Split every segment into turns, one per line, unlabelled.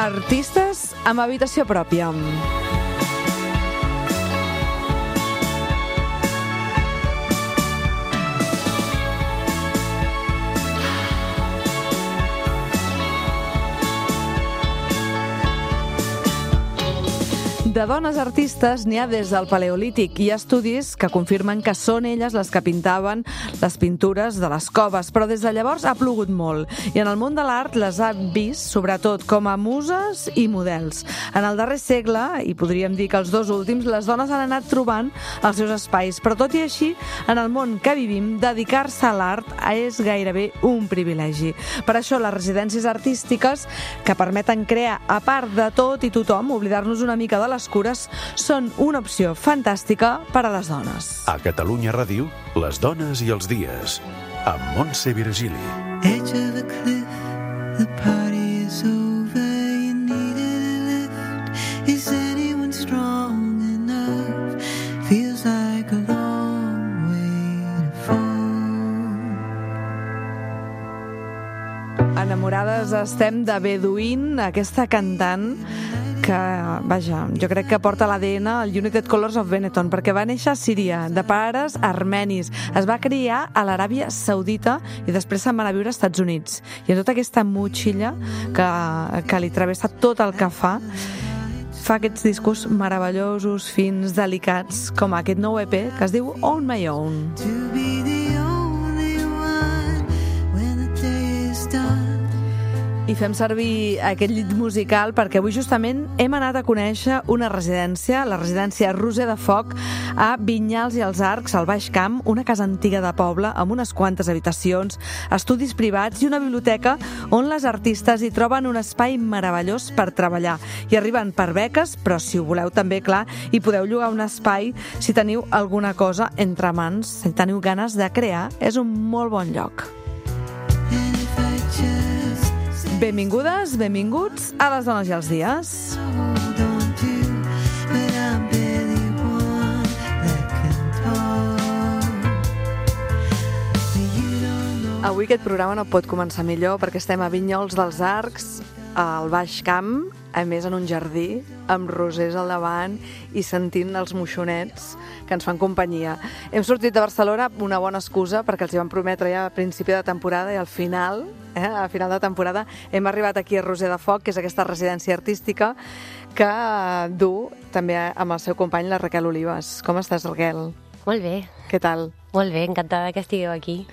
Artistes amb habitació pròpia. De dones artistes n'hi ha des del Paleolític. Hi ha estudis que confirmen que són elles les que pintaven les pintures de les coves, però des de llavors ha plogut molt. I en el món de l'art les ha vist, sobretot, com a muses i models. En el darrer segle, i podríem dir que els dos últims, les dones han anat trobant els seus espais. Però tot i així, en el món que vivim, dedicar-se a l'art és gairebé un privilegi. Per això les residències artístiques, que permeten crear a part de tot i tothom, oblidar-nos una mica de les cures, són una opció fantàstica per a les dones.
A Catalunya Ràdio, les dones i els dies, amb Montse Virgili.
Edge of a cliff, the party is over, you needed a lift. Is anyone strong enough? Feels like a long way to fall.
Enamorades estem de Bedouin, aquesta cantant que, vaja, jo crec que porta l'ADN al United Colors of Benetton, perquè va néixer a Síria, de pares armenis. Es va criar a l'Aràbia Saudita i després se'n va anar a viure als Estats Units. I en tota aquesta motxilla que li travessa tot el que fa aquests discos meravellosos, fins, delicats, com aquest nou EP que es diu On My Own.
To be the only one when the day is done.
I fem servir aquest llit musical perquè avui justament hem anat a conèixer una residència, la residència Roser de Foc, a Vinyals i els Arcs, al Baix Camp, una casa antiga de poble amb unes quantes habitacions, estudis privats i una biblioteca on les artistes hi troben un espai meravellós per treballar. I arriben per beques, però si ho voleu també, clar, hi podeu llogar un espai si teniu alguna cosa entre mans, si teniu ganes de crear, és un molt bon lloc. Benvingudes, benvinguts a les dones i els dies.
Hold on to, but I'm barely one that can talk. You don't know.
Avui aquest programa no pot començar millor perquè estem a Vinyols dels Arcs, al Baix Camp, a més en un jardí, amb rosers al davant i sentint els moixonets que ens fan companyia. Hem sortit de Barcelona, una bona excusa, perquè els hi vam prometre ja a principi de temporada i al final, a final de temporada, hem arribat aquí a Roser de Foc, que és aquesta residència artística que du també amb el seu company, la Raquel Olives. Com estàs, Raquel?
Molt bé,
Què tal?
molt bé, encantada que estigueu aquí.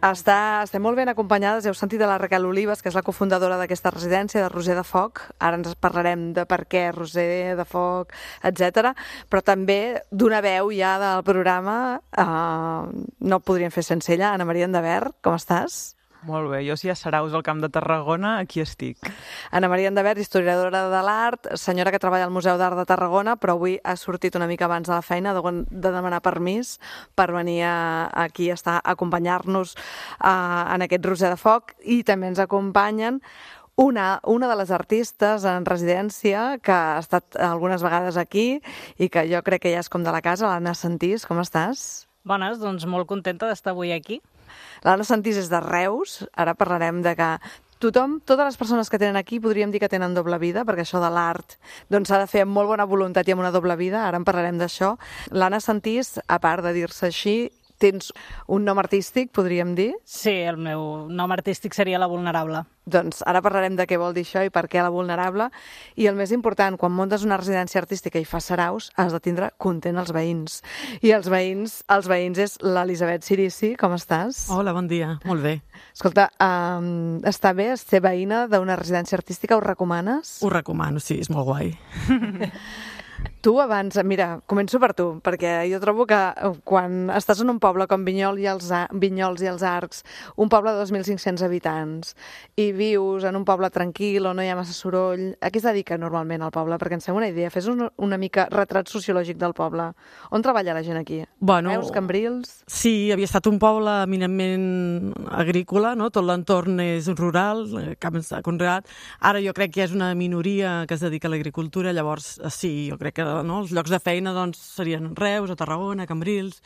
Estem molt ben acompanyades, heu sentit de la Raquel Olives, que és la cofundadora d'aquesta residència de Roser de Foc. Ara ens parlarem de per què Roser de Foc, etc. Però també d'una veu ja del programa, no podríem fer sense ella. Anna Maria Endavert, com estàs?
Molt bé, jo si a Saraus, al Camp de Tarragona, aquí estic.
Anna Maria Endavert, historiadora de l'art, senyora que treballa al Museu d'Art de Tarragona, però avui ha sortit una mica abans de la feina de demanar permís per venir aquí a acompanyar-nos en aquest Roser de Foc. I també ens acompanyen una de les artistes en residència que ha estat algunes vegades aquí i que jo crec que ja és com de la casa, l'Anna Sentís. Com estàs?
Bones, doncs molt contenta d'estar avui aquí.
L'Anna Sentís és de Reus. Ara parlarem de que totes les persones que tenen aquí podríem dir que tenen doble vida, perquè això de l'art s'ha de fer amb molt bona voluntat i amb una doble vida. Ara en parlarem d'això. L'Anna Sentís, a part de dir-se així, tens un nom artístic, podríem dir?
Sí, el meu nom artístic seria La Vulnerable.
Doncs ara parlarem de què vol dir això i per què La Vulnerable. I el més important, quan muntes una residència artística i fas saraus, has de tindre content els veïns. I els veïns és l'Elisabet Cirici. Com estàs?
Hola, bon dia. Molt bé.
Escolta, està bé ser veïna d'una residència artística? Ho recomanes?
Ho recomano, sí, és molt guai.
Tu abans, mira, començo per tu, perquè jo trobo que quan estàs en un poble com Vinyols i els Arcs, un poble de 2.500 habitants, i vius en un poble tranquil on no hi ha massa soroll, a què es dedica normalment el poble? Perquè ens fem una idea, fes una mica retrat sociològic del poble. On treballa la gent aquí?
Bueno,
Veus, Cambrils?
Sí, havia estat un poble eminentment agrícola, no? Tot l'entorn és rural, camps de conreat. Ara jo crec que és una minoria que es dedica a l'agricultura, llavors sí, jo crec que els llocs de feina serien Reus, a Tarragona, a Cambrils,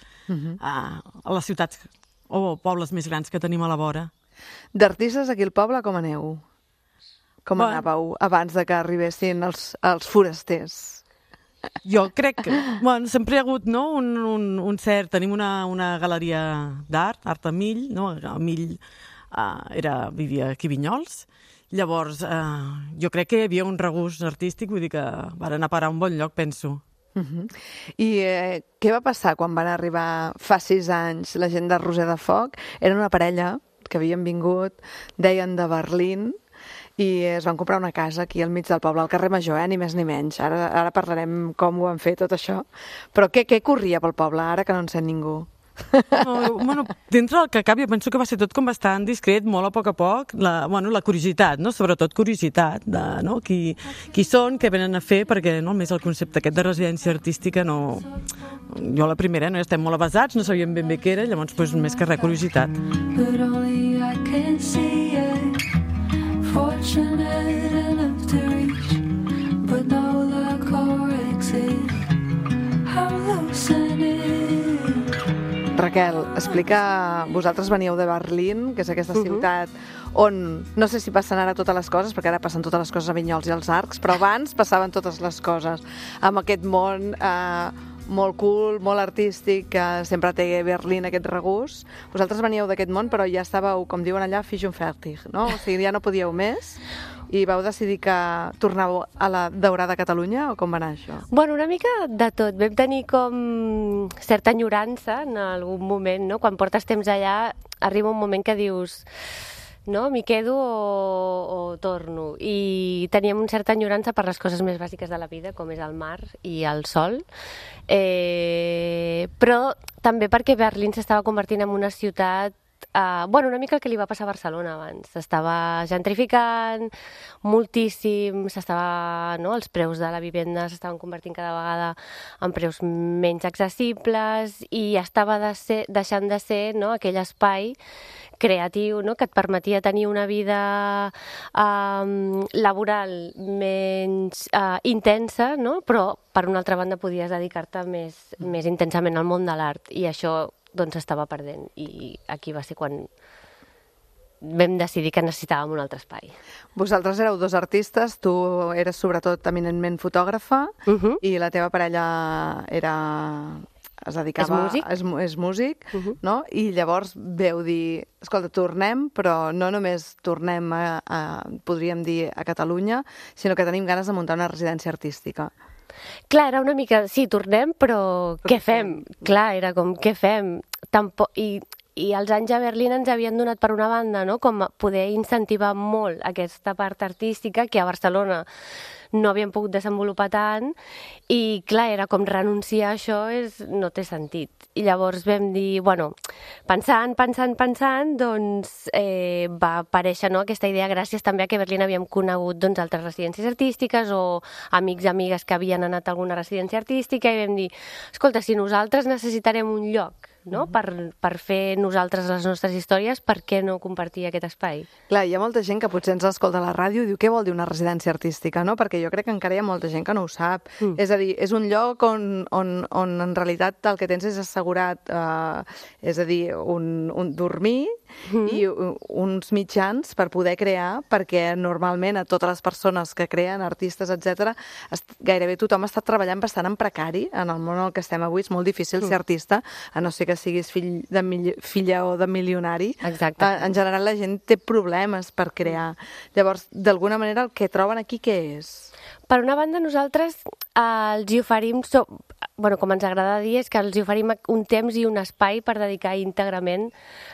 a les ciutats o pobles més grans que tenim a la vora.
D'artistes aquí al poble com aneu? Com
Bueno.
anàveu abans de que arribessin els forasters?
Jo crec que sempre hi ha hagut un cert... Tenim una galeria d'art, Art a Mill, no? A Mill vivia aquí a Vinyols. Llavors, jo crec que hi havia un regust artístic, vull dir que van anar a parar a un bon lloc, penso.
I què va passar quan van arribar fa 6 anys la gent de Roser de Foc? Era una parella que havien vingut, deien de Berlín, i es van comprar una casa aquí al mig del poble, al carrer Major, ni més ni menys. Ara parlarem com ho van fer, tot això. Però què corria pel poble, ara que no en sent ningú?
Bueno, dintre del que cap, jo penso que va ser tot com bastant discret, molt a poc, la curiositat, no? Sobretot curiositat de qui són, què venen a fer, perquè més el concepte aquest de residència artística no... Jo la primera, no estem molt avasats, no sabíem ben bé què era, llavors més que res, curiositat.
But only I can see it. Fortunate enough to reach, but no luck or exit. I'm loosening.
Raquel, explica... Vosaltres veníeu de Berlín, que és aquesta ciutat on, no sé si passen ara totes les coses, perquè ara passen totes les coses a Vinyols i als Arcs, però abans passaven totes les coses amb aquest món molt cool, molt artístic, que sempre té Berlín aquest regust. Vosaltres veníeu d'aquest món, però ja estàveu, com diuen allà, fisch und fertig, no? O sigui, ja no podíeu més i vau decidir que tornàveu a la daurada Catalunya, o com va anar això?
Bueno, una mica de tot. Vam tenir com certa enyorança en algun moment, no? Quan portes temps allà, arriba un moment que dius... no? M'hi quedo o torno. I teníem una certa enyorança per les coses més bàsiques de la vida, com és el mar i el sol. Però també perquè Berlín s'estava convertint en una ciutat una mica el que li va passar a Barcelona abans. S'estava gentrificant moltíssim, els preus de la vivenda s'estaven convertint cada vegada en preus menys accessibles i estava deixant de ser aquell espai creatiu, que et permetia tenir una vida laboral menys intensa, però per una altra banda podies dedicar-te més intensament al món de l'art, i això s'estava perdent, i aquí va ser quan vam decidir que necessitàvem un altre espai.
Vosaltres éreu 2 artistes, tu eres sobretot eminentment fotògrafa i la teva parella es dedicava... És músic, no? I llavors veu dir, escolta, tornem, però no només tornem podríem dir, a Catalunya, sinó que tenim ganes de muntar una residència artística.
Clar, era una mica, sí, tornem, però què fem? Clar, era com, què fem? I els anys a Berlín ens havien donat, per una banda, com poder incentivar molt aquesta part artística que a Barcelona no havíem pogut desenvolupar tant, i clar, era com renunciar a això no té sentit. I llavors vam dir, pensant, doncs va aparèixer aquesta idea gràcies també a que a Berlín havíem conegut altres residències artístiques o amics i amigues que havien anat a alguna residència artística, i vam dir, escolta, si nosaltres necessitarem un lloc per fer nosaltres les nostres històries, per què no compartir aquest espai?
Clar, hi ha molta gent que potser ens escolta a la ràdio i diu, què vol dir una residència artística, no? Perquè jo crec que encara hi ha molta gent que no ho sap. És a dir, és un lloc on en realitat el que tens és assegurat, és a dir, un dormir i uns mitjans per poder crear, perquè normalment a totes les persones que creen, artistes, etc, gairebé tothom està treballant bastant en precari en el món en el que estem avui. És molt difícil ser artista, a no ser que siguis filla o de milionari.
Exacte.
En general la gent té problemes per crear. Llavors, d'alguna manera, el que troben aquí què és?
Per una banda, nosaltres els hi oferim, com ens agrada dir, és que els hi oferim un temps i un espai per dedicar íntegrament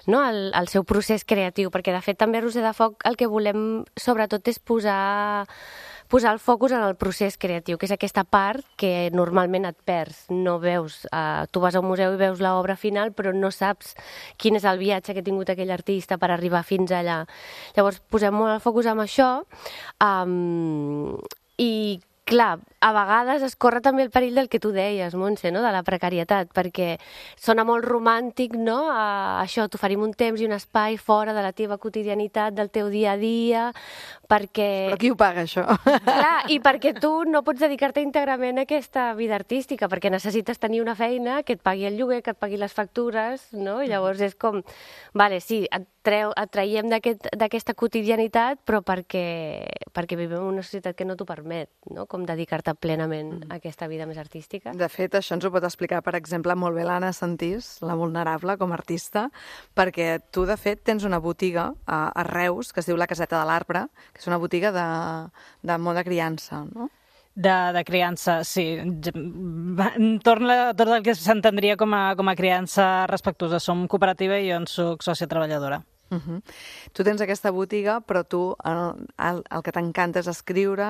al seu procés creatiu, perquè de fet també a Roser de Foc el que volem sobretot és posar el focus en el procés creatiu, que és aquesta part que normalment et perds. No veus, tu vas a un museu i veus l'obra final, però no saps quin és el viatge que ha tingut aquell artista per arribar fins allà. Llavors, posem molt el focus en això, i clar, a vegades es corre també el perill del que tu deies, Montse, no? De la precarietat, perquè sona molt romàntic, no? Això, t'oferim un temps i un espai fora de la teva quotidianitat, del teu dia a dia, perquè...
Però qui ho paga, això?
Clar, i perquè tu no pots dedicar-te íntegrament a aquesta vida artística, perquè necessites tenir una feina que et pagui el lloguer, que et pagui les factures, no? I llavors és com, vale, sí, et traiem d'aquesta quotidianitat, però perquè vivim en una societat que no t'ho permet, no? Com dedicar-te plenament a aquesta vida més artística.
De fet, això ens ho pot explicar, per exemple, molt bé l'Anna Santís, la vulnerable, com a artista, perquè tu, de fet, tens una botiga a Reus, que es diu La Caseta de l'Arbre, que és una botiga de món de criança, no?
De criança, sí. Torna tot el que s'entendria com a criança respectuosa. Som cooperativa i jo en soc sòcia treballadora.
Tu tens aquesta botiga, però tu el que t'encanta és escriure,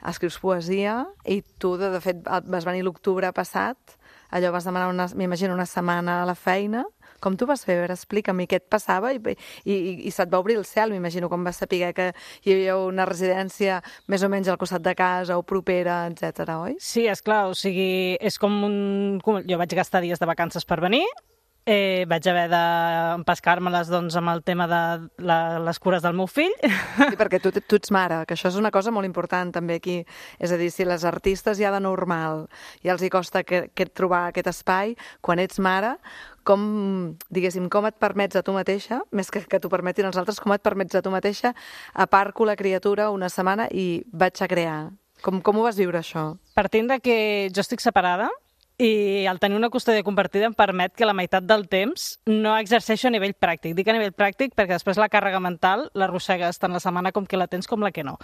escrius poesia, i tu, de fet, vas venir l'octubre passat, allò vas demanar, m'imagino, una setmana a la feina. Com tu vas fer? A veure, explica'm què et passava i se't va obrir el cel, m'imagino, quan vas saber que hi havia una residència més o menys al costat de casa o propera, etc, oi?
Sí, esclar, o sigui, és com jo vaig gastar dies de vacances per venir, vaig haver d'empescar-me-les doncs, amb el tema de les cures del meu fill.
Sí, perquè tu ets mare, que això és una cosa molt important també aquí. És a dir, si les artistes ja de normal ja els hi costa trobar aquest espai, quan ets mare, com et permets a tu mateixa, més que t'ho permetin els altres, com et permets a tu mateixa, aparco la criatura una setmana i vaig a crear. Com ho vas viure, això?
Partint de que jo estic separada, i el tenir una custòdia compartida em permet que la meitat del temps no exerceixo a nivell pràctic. Dic a nivell pràctic perquè després la càrrega mental l'arrossegues tant la setmana com que la tens com la que no.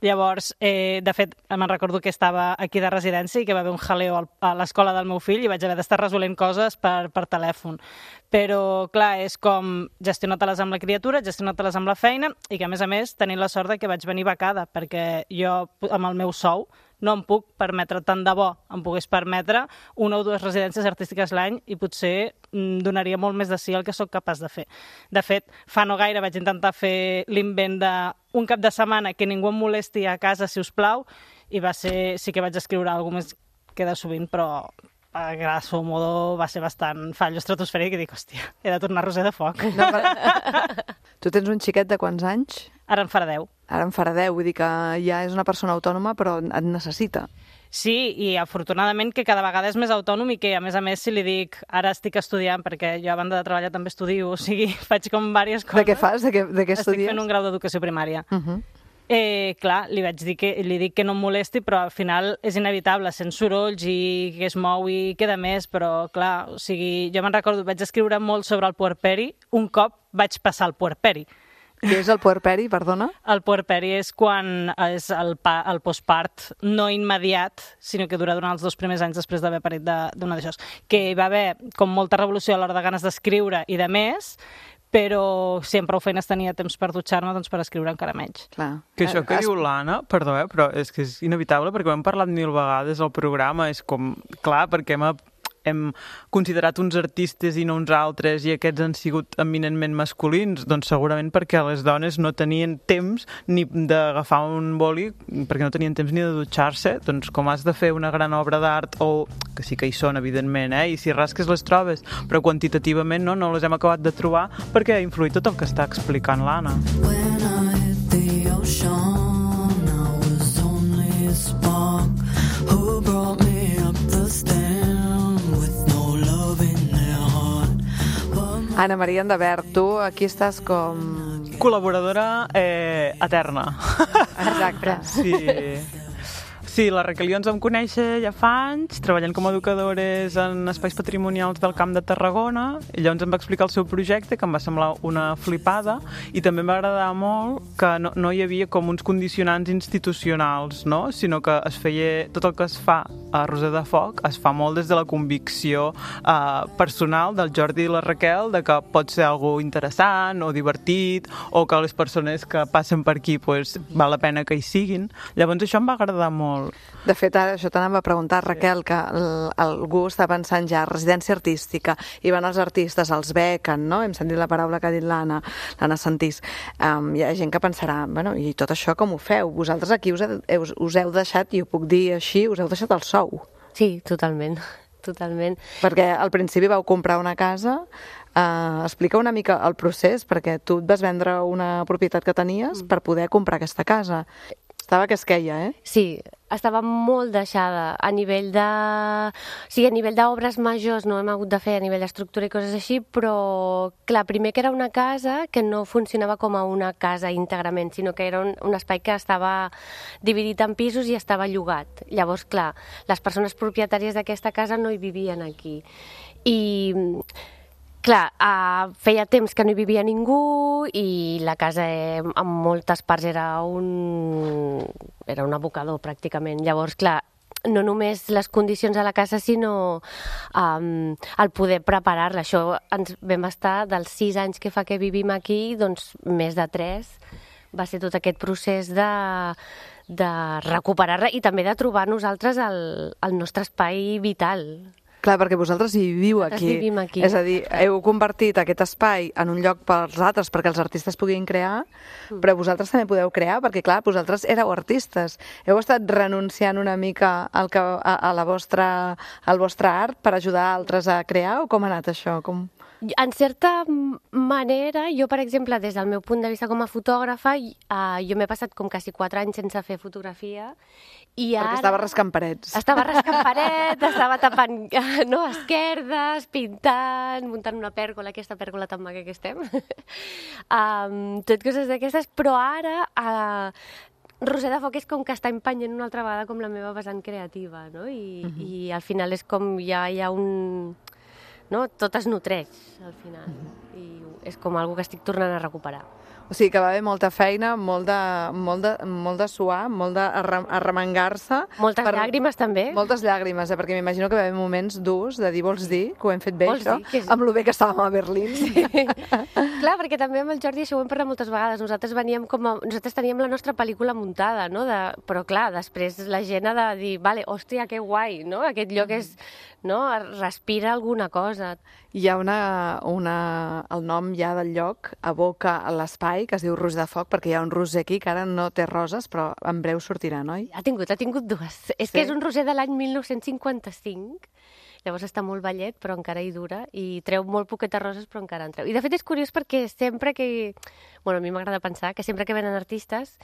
Llavors, de fet, me'n recordo que estava aquí de residència i que va haver un jaleo a l'escola del meu fill i vaig haver d'estar resolent coses per telèfon. Però, clar, és com gestionar-te-les amb la criatura, gestionar-te-les amb la feina i que, a més, tenint la sort de que vaig venir becada, perquè jo, amb el meu sou, no em puc permetre, tant de bo em pogués permetre 1 o 2 residències artístiques l'any i potser donaria molt més de sí el que sóc capaç de fer. De fet, fa no gaire vaig intentar fer l'invent d'un cap de setmana que ningú em molesti a casa, si us plau, i sí que vaig escriure alguna més que de sovint, però a grosso modo va ser bastant fallo estratosfèric i dic, hòstia, he de tornar a Roser de Foc.
No, tu tens un xiquet de quants anys?
Ara en farà 10.
Ara en farà 10, vull dir que ja és una persona autònoma, però et necessita.
Sí, i afortunadament que cada vegada és més autònom i que, a més, si li dic ara estic estudiant, perquè jo a banda de treballar també estudio, o sigui, faig com diverses coses.
De què fas? De què estudies?
Estic fent un grau d'educació primària. Clar, li dic que no em molesti, però al final és inevitable, sent sorolls i que es mou i queda més, però clar, o sigui, jo me'n recordo, vaig escriure molt sobre el puerperi, un cop vaig passar el puerperi.
Què és el puerperi, perdona?
El puerperi és quan és el postpart no immediat, sinó que dura durant els 2 primers anys després d'haver parit d'una d'això. Que hi va haver com molta revolució a l'hora de ganes d'escriure i de més, però si amb prou feines tenia temps per dutxar-me, doncs per escriure encara menys.
Clar.
Que això que diu l'Anna, perdó, però és que és inevitable, perquè ho hem parlat 1000 vegades al programa, és com, clar, perquè hem considerat uns artistes i no uns altres i aquests han sigut eminentment masculins, doncs segurament perquè les dones no tenien temps ni d'agafar un boli, perquè no tenien temps ni de dutxar-se, doncs com has de fer una gran obra d'art, o que sí que hi són, evidentment, i si rasques les trobes, però quantitativament no les hem acabat de trobar perquè ha influït tot el que està explicant l'Anna.
When I hit the ocean, I was only a spark who brought me up the stairs.
Anna Maria Endavert, tu aquí estàs com...
Col·laboradora eterna.
Exacte.
Sí, la Raquel i jo ens vam conèixer ja fa anys, treballant com a educadores en espais patrimonials del Camp de Tarragona, i llavors em va explicar el seu projecte, que em va semblar una flipada, i també em va agradar molt que no hi havia com uns condicionants institucionals, no? Sinó que es feia, tot el que es fa a Roser de Foc es fa molt des de la convicció personal del Jordi i la Raquel de que pot ser algo interessant o divertit, o que les persones que passen per aquí pues, val la pena que hi siguin. Llavors això em va agradar molt. molt.
De fet, ara això t'anava a preguntar, Raquel, que algú està pensant ja residència artística, i van els artistes, els bequen, no? Hem sentit la paraula que ha dit l'Anna Santís. Hi ha gent que pensarà, bueno, i tot això com ho feu? Vosaltres aquí us heu deixat, i ho puc dir així, us heu deixat el sou.
Sí, totalment.
Perquè al principi vau comprar una casa. Explica una mica el procés, perquè tu et vas vendre una propietat que tenies per poder comprar aquesta casa. Estava que es queia, eh?
Sí, estava molt deixada a nivell de... Sí, a nivell d'obres majors no hem hagut de fer a nivell d'estructura i coses així, però, clar, primer que era una casa que no funcionava com a una casa íntegrament, sinó que era un espai que estava dividit en pisos i estava llogat. Llavors, clar, les persones propietàries d'aquesta casa no hi vivien aquí. I... Clar, feia temps que no hi vivia ningú i la casa en moltes parts era un abocador pràcticament. Llavors, clar, no només les condicions de la casa, sinó el poder preparar-la. Això ens vam estar dels 6 anys que fa que vivim aquí, doncs més de 3. Va ser tot aquest procés de recuperar-la i també de trobar nosaltres el nostre espai vital.
Clar, perquè vosaltres hi viviu aquí.
Vivim aquí.
És a dir, heu convertit aquest espai en un lloc pels altres perquè els artistes puguin crear, però vosaltres també podeu crear, perquè clar, vosaltres éreu artistes. Heu estat renunciant una mica al vostre art per ajudar altres a crear, o com ha anat això?
En certa manera, jo, per exemple, des del meu punt de vista com a fotògrafa, jo m'he passat com quasi 4 anys sense fer fotografia.
Perquè estava rascant parets.
Estava rascant parets, estava tapant esquerdes, pintant, muntant una pèrgola, aquesta pèrgola tan maca que estem. Tot coses d'aquestes, però ara... Roser de Foc és com que està empenyent una altra vegada com la meva vessant creativa, no? I al final és com ja hi ha un... No? Tot es nodreix, al final, i és com algo que estic tornant a recuperar.
O sigui que va haver molta feina, molt de suar, molt d'arremengar-se.
Moltes llàgrimes, també.
Moltes llàgrimes, perquè m'imagino que va haver moments durs de dir, vols dir que ho hem fet bé,
vols
això? Amb lo bé que estàvem a Berlín.
Sí. Clar, perquè també amb el Jordi això ho hem parlat moltes vegades. Nosaltres teníem la nostra pel·lícula muntada, no? Però clar, després la gent ha de dir, vale, hòstia, que guai, no? Aquest lloc és... No? Respira alguna cosa.
Hi ha el nom ja del lloc aboca a l'espai que es diu Roser de Foc, perquè hi ha un roser aquí que ara no té roses, però en breu sortirà, no?
Ha tingut 2. És que és un roser de l'any 1955, llavors està molt vellet, però encara hi dura, i treu molt poquetes roses, però encara en treu. I de fet és curiós perquè sempre que... Bueno, a mi m'agrada pensar que sempre que venen artistes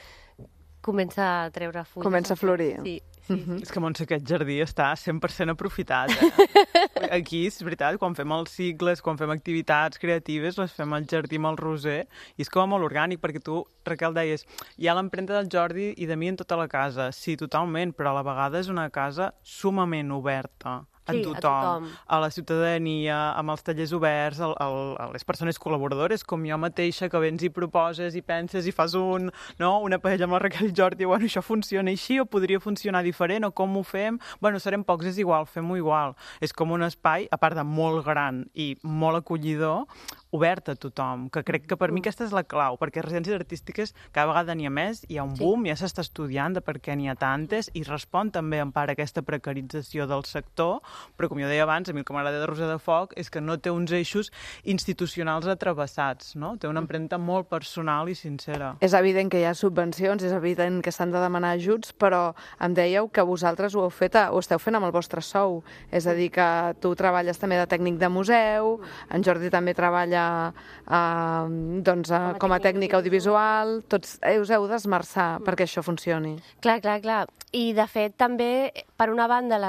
comença a treure fulles.
Comença a florir.
Sí.
És que, Montse, aquest jardí està 100% aprofitat. Eh? Aquí, és veritat, quan fem els cicles, quan fem activitats creatives, les fem al jardí amb el roser, i és com molt orgànic, perquè tu, Raquel, deies, hi ha l'empremta del Jordi i de mi en tota la casa. Sí, totalment, però a la vegada és una casa sumament oberta. A tothom, a la ciutadania, amb els tallers oberts, a les persones col·laboradores, com jo mateixa, que vens i proposes i penses i fas una paella amb la Raquel i Jordi, bueno, això funciona així o podria funcionar diferent, o com ho fem? Bueno, serem pocs, és igual, fem-ho igual. És com un espai, a part de molt gran i molt acollidor, obert a tothom, que crec que per mi aquesta és la clau, perquè residències artístiques cada vegada n'hi ha més, hi ha un boom, ja s'està estudiant de per què n'hi ha tantes, i respon també en part a aquesta precarització del sector, però com jo deia abans, a mi el que m'agrada de Roser de Foc és que no té uns eixos institucionals atravessats, no? Té una empremta molt personal i sincera.
És evident que hi ha subvencions, és evident que s'han de demanar ajuts, però em dèieu que vosaltres ho esteu fent amb el vostre sou, és a dir, que tu treballes també de tècnic de museu, en Jordi també treballa com a tècnic audiovisual, tots us heu d'esmerçar perquè això funcioni.
Clar. I de fet també, per una banda,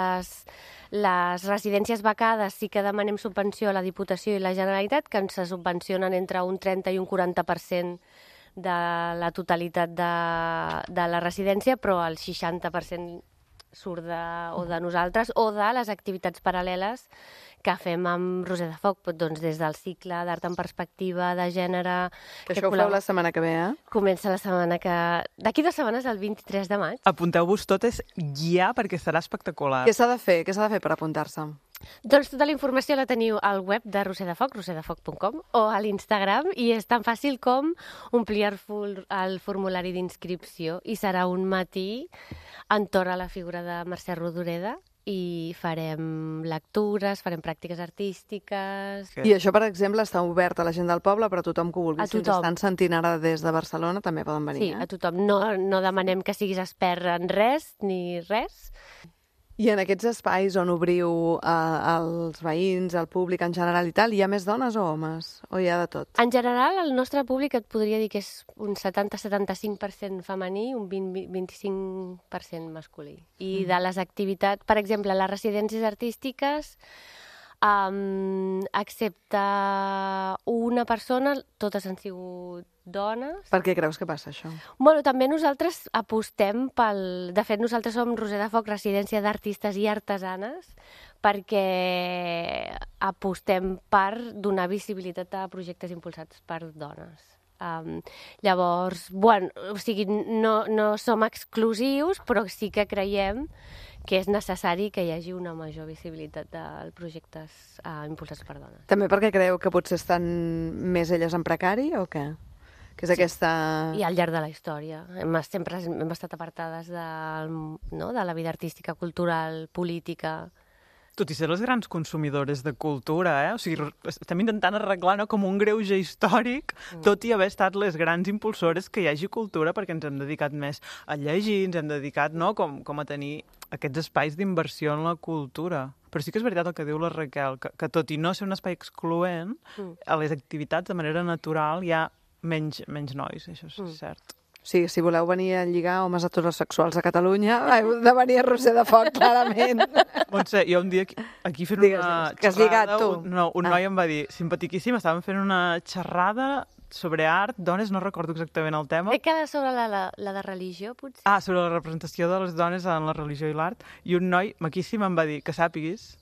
les residències becades sí que demanem subvenció a la Diputació i la Generalitat, que ens subvencionen entre un 30 i un 40% de la totalitat de la residència, però el 60% surt de nosaltres o de les activitats paral·leles que fem amb Roser de Foc, doncs des del cicle d'art en perspectiva, de gènere...
Que això ho feu la setmana que ve, eh?
Comença la setmana que... D'aquí 2 setmanes, el 23 de maig.
Apunteu-vos totes ja, perquè serà espectacular.
Què s'ha de fer per apuntar-se?
Doncs tota la informació la teniu al web de Roser de Foc, roserdefoc.com, o a l'Instagram, i és tan fàcil com omplir el formulari d'inscripció, i serà un matí entorn a la figura de Mercè Rodoreda, i farem lectures, farem pràctiques artístiques...
I això, per exemple, està obert a la gent del poble, però tothom que ho vulgui.
A
Si ens
tothom.
estan sentint ara des de Barcelona, també poden venir.
Sí, a tothom. No demanem que siguis expert en res, ni res.
I en aquests espais on obriu als veïns, al públic en general i tal, hi ha més dones o homes? O hi ha de tot?
En general, el nostre públic et podria dir que és un 70-75% femení, un 20-25% masculí. I de les activitats, per exemple, les residències artístiques, excepte una persona, totes han sigut dones.
Per què creus que passa això?
Bueno, també nosaltres apostem pel... De fet, nosaltres som Roser de Foc, residència d'artistes i artesanes, perquè apostem per donar visibilitat a projectes impulsats per dones. Llavors, bueno, o sigui, no som exclusius, però sí que creiem que és necessari que hi hagi una major visibilitat de projectes impulsats per dones.
També perquè creu que potser estan més elles en precari o què? Que és aquesta...
I al llarg de la història. Sempre hem estat apartades de la vida artística, cultural, política...
Tot i ser les grans consumidores de cultura, O sigui, estem intentant arreglar com un greuge històric, tot i haver estat les grans impulsores que hi hagi cultura, perquè ens hem dedicat més a llegir, ens hem dedicat com a tenir aquests espais d'inversió en la cultura. Però sí que és veritat el que diu la Raquel, que tot i no ser un espai excloent, a les activitats de manera natural hi ha menys nois, això és cert.
Sí, si voleu venir a lligar homes heterosexuals a Catalunya, heu de venir a Roser de Foc, clarament.
Montse, jo un dia aquí fent
Digues,
una
que has lligat, tu.
Un noi em va dir, simpatiquíssim, estàvem fent una xerrada sobre art, dones, no recordo exactament el tema.
Crec que era sobre la de religió, potser.
Sobre la representació de les dones en la religió i l'art, i un noi maquíssim em va dir que sàpiguis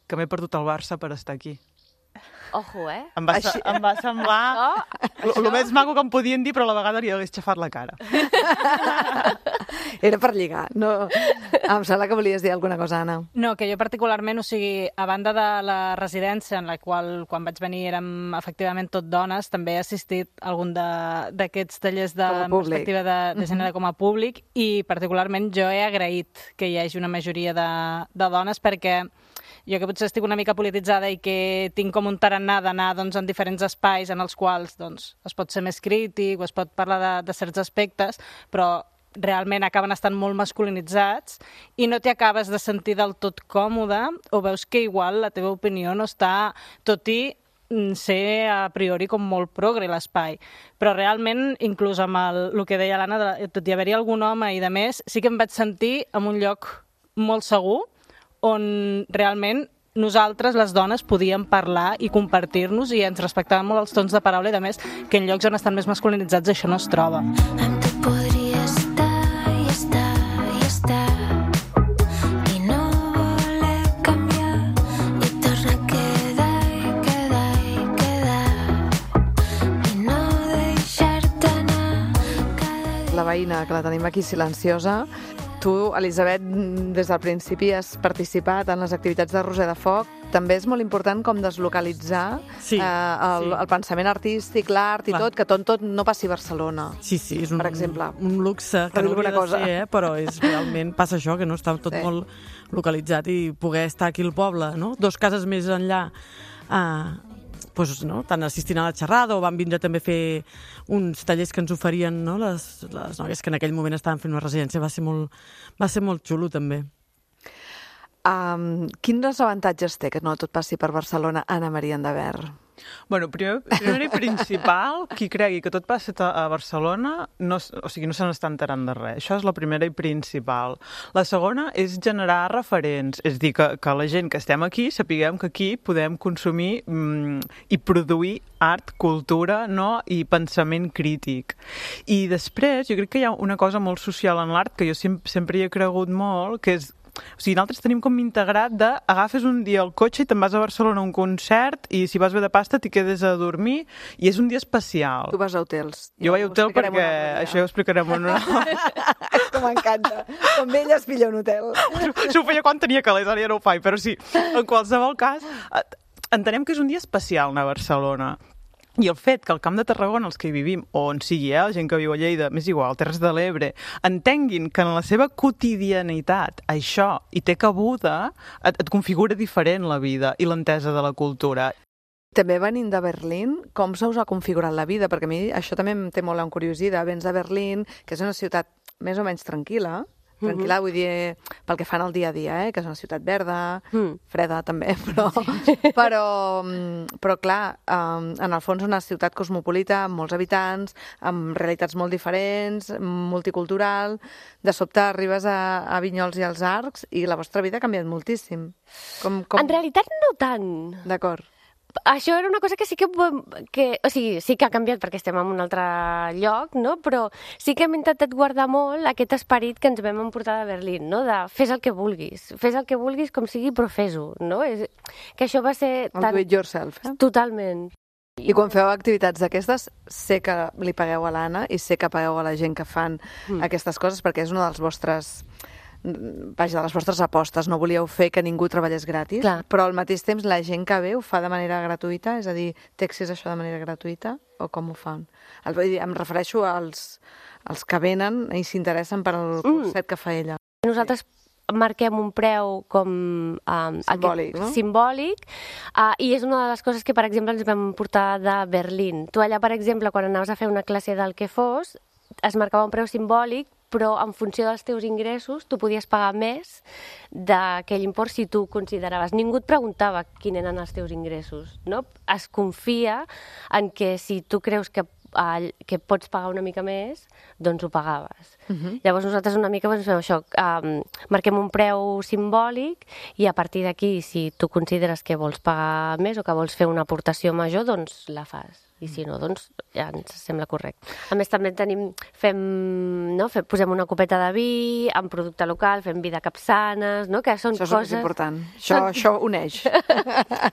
que m'he perdut el Barça per estar aquí.
Ojo,
Em va semblar el més maco que em podien dir, però a la vegada li hagués xafat la cara.
Era per lligar. No... Em sembla que volies dir alguna cosa, Anna.
No, que jo particularment, o sigui, a banda de la residència en la qual, quan vaig venir, érem efectivament tot dones, també he assistit a algun d'aquests tallers de perspectiva de gènere com a públic, i particularment jo he agraït que hi hagi una majoria de dones, perquè jo que potser estic una mica polititzada i que tinc com un tarannà d'anar en diferents espais en els quals es pot ser més crític o es pot parlar de certs aspectes, però realment acaben estant molt masculinitzats i no t'hi acabes de sentir del tot còmode, o veus que igual la teva opinió no està, tot i ser a priori com molt progre l'espai. Però realment, inclús amb el que deia l'Anna, tot i haver-hi algun home i de més, sí que em vaig sentir en un lloc molt segur, on realment nosaltres, les dones, podíem parlar i compartir-nos i ens respectàvem molt els tons de paraula, i a més que en llocs on estan més masculinitzats això no es troba.
Amb tu podria estar i estar i estar i no voler canviar i tornar a quedar i quedar i quedar i no deixar-te anar.
La veïna, que la tenim aquí silenciosa. Tu, Elisabet, des del principi has participat en les activitats de Roser de Foc. També és molt important com deslocalitzar el pensament artístic, l'art i tot, que tot no passi a Barcelona.
Sí, és
per exemple,
un luxe que no hauria de ser, però realment passa això, que no està tot molt localitzat, i poder estar aquí al poble, no? 2 cases més enllà, tant assistint a la xerrada, o van vindre també a fer uns tallers que ens oferien les noies que en aquell moment estaven fent una residència. Va ser molt xulo, també.
Quins avantatges té que no tot passi per Barcelona, Anna Maria Endavert?
Bueno, primer i principal, qui cregui que tot passa a Barcelona no se n'està enterant de res. Això és la primera i principal. La segona és generar referents, és dir, que la gent que estem aquí sapiguem que aquí podem consumir i produir art, cultura, i pensament crític. I després, jo crec que hi ha una cosa molt social en l'art que jo sempre hi he cregut molt, que és O sigui, nosaltres tenim com integrat de agafes un dia el cotxe i te'n vas a Barcelona a un concert i si vas bé de pasta t'hi quedes a dormir i és un dia especial.
Tu vas a hotels.
Jo vaig a hotel perquè això ja ho explicarem en una...
Que m'encanta. Com ella es pilla un hotel.
Això ho feia quan tenia calés, ara ja no ho faig, però sí, en qualsevol cas, entenem que és un dia especial anar a Barcelona. I el fet que al Camp de Tarragona, els que hi vivim, o on sigui, la gent que viu a Lleida, més igual, Terres de l'Ebre, entenguin que en la seva quotidianitat això hi té cabuda, et configura diferent la vida i l'entesa de la cultura.
També venint de Berlín, com se us ha configurat la vida? Perquè a mi això també em té molt en curiositat. Vens de Berlín, que és una ciutat més o menys tranquil·la, vull dir, pel que fan al dia a dia, que és una ciutat verda, freda també, però clar, en el fons una ciutat cosmopolita, amb molts habitants, amb realitats molt diferents, multicultural, de sobte arribes a Vinyols i als Arcs i la vostra vida ha canviat moltíssim.
En realitat no tant.
D'acord.
Això era una cosa que sí que... O sigui, sí que ha canviat perquè estem en un altre lloc, no? Però sí que hem intentat guardar molt aquest esperit que ens vam emportar de Berlín, no? De fes el que vulguis com sigui, però fes-ho, no? Que això va ser...
El do it yourself,
Totalment.
I quan feu activitats d'aquestes, sé que li pagueu a l'Anna i sé que pagueu a la gent que fan aquestes coses perquè és una dels vostres... Vaja, de les vostres apostes, no volíeu fer que ningú treballés gratis,
Clar.
però al mateix temps la gent que ve ho fa de manera gratuïta, és a dir, té accés a això de manera gratuïta, o com ho fan? Em refereixo als que venen i s'interessen per al concert que fa ella.
Nosaltres marquem un preu com...
Simbòlic, no?
Simbòlic, i és una de les coses que, per exemple, ens vam portar de Berlín. Tu allà, per exemple, quan anaves a fer una classe del que fos, es marcava un preu simbòlic, però en funció dels teus ingressos tu podies pagar més d'aquell import si tu consideraves. Ningú et preguntava quins eren els teus ingressos, no? Es confia en que si tu creus que pots pagar una mica més, doncs ho pagaves. Llavors nosaltres una mica fem això, marquem un preu simbòlic i a partir d'aquí, si tu consideres que vols pagar més o que vols fer una aportació major, doncs la fas. I si no, doncs ja ens sembla correcte. A més, també posem una copeta de vi, amb producte local, fem vi de capçanes, no? Que són
coses...
Això
és important. Això uneix.